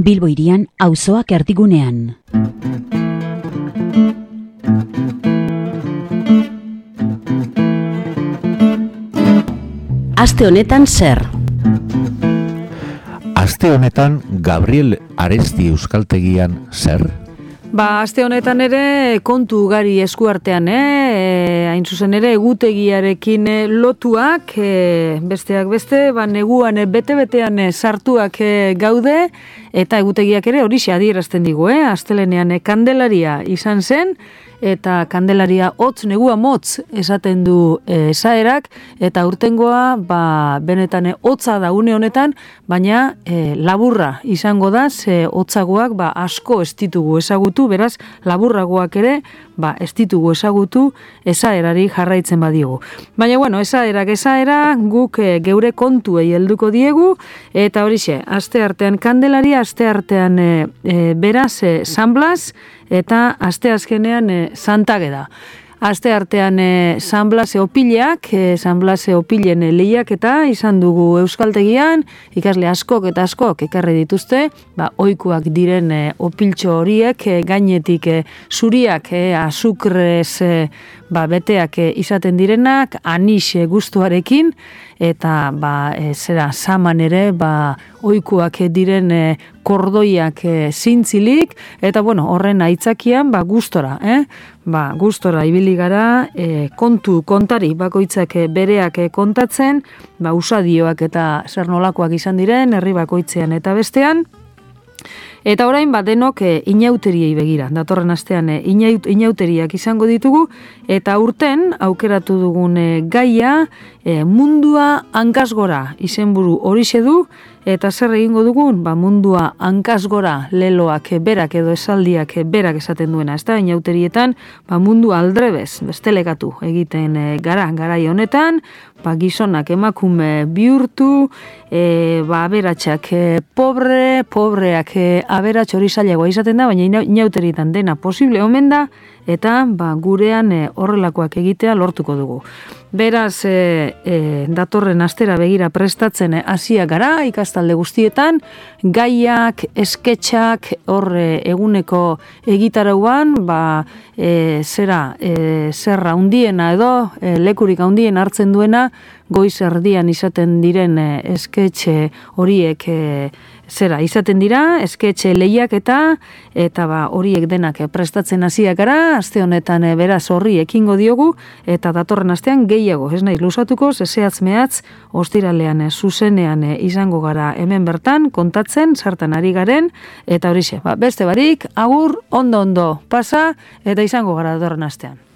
Bilbo hirian auzoak erdigunean. Aste honetan zer? Aste honetan Gabriel Aresti euskaltegian zer? Aste honetan ere kontu ugari eskuartean, hain zuzen ere egutegiarekin lotuak, besteak beste, neguan bete-betean sartuak gaude, eta egutegiak ere horixe adierazten digu, astelenean Kandelaria izan zen, eta Kandelaria hotz, negua motz esaten du esaerak, eta urtengoa benetan hotza da une honetan, baina laburra izango da, ze hotzagoak asko ez ditugu ezagutu, beraz laburragoak ere ez ditugu ezagutu esaerari jarraitzen badigu. Baina bueno, esaera, guk geure kontuei helduko diegu, eta horixe, aste artean Kandelaria, aste artean beraz San Blas, eta aste azkenean Santa Ageda. Aste artean San Blase opileak, San Blase opilen lehiaketa izan dugu euskaltegian, ikasle askok eta askok ekarri dituzte, ohikoak diren opiltxo horiek, gainetik zuriak, azukrez beteak izaten direnak, anis gustuarekin, eta saman ere ohikoak diren kordoiak zintzilik, eta horren aitzakian gustora, gustora ibili gara, kontari bakoitzak bereak kontatzen, usadioak eta zer nolakoak izan diren, herri bakoitzean eta bestean. Eta orain denok inauteriei begira, datorren astean inauteriak izango ditugu, eta urten aukeratu dugun gaia mundua hankasgora izenburu horixe du, eta zer egingo dugun? Mundua hankasgora leloak berak edo esaldiak berak esaten duena, ez da, inauterietan mundu aldrebez, bestelekatu egiten garai honetan, gizonak emakume bihurtu, aberatsak pobreak aberats hori zailagoa izaten da, baina inauterietan dena posible omen da, eta gurean horrelakoak egitea lortuko dugu. Beraz, datorren astera begira prestatzen hasia gara ikastalde guztietan, gaiak, esketxak, eguneko egitarauan, zerra handiena edo, lekurik handien hartzen duena, goiz erdian izaten diren esketxe horiek izaten dira, esketxe lehiak eta horiek denak prestatzen hasiak gara, aste honetan beraz horri ekingo diogu, eta datorren astean gehiago, ez naiz luzatuko, zehatz mehatz, ostiralean zuzenean izango gara hemen bertan, kontatzen, sartan ari garen, eta horixe, beste barik, agur, ondo pasa, eta izango gara datorren astean.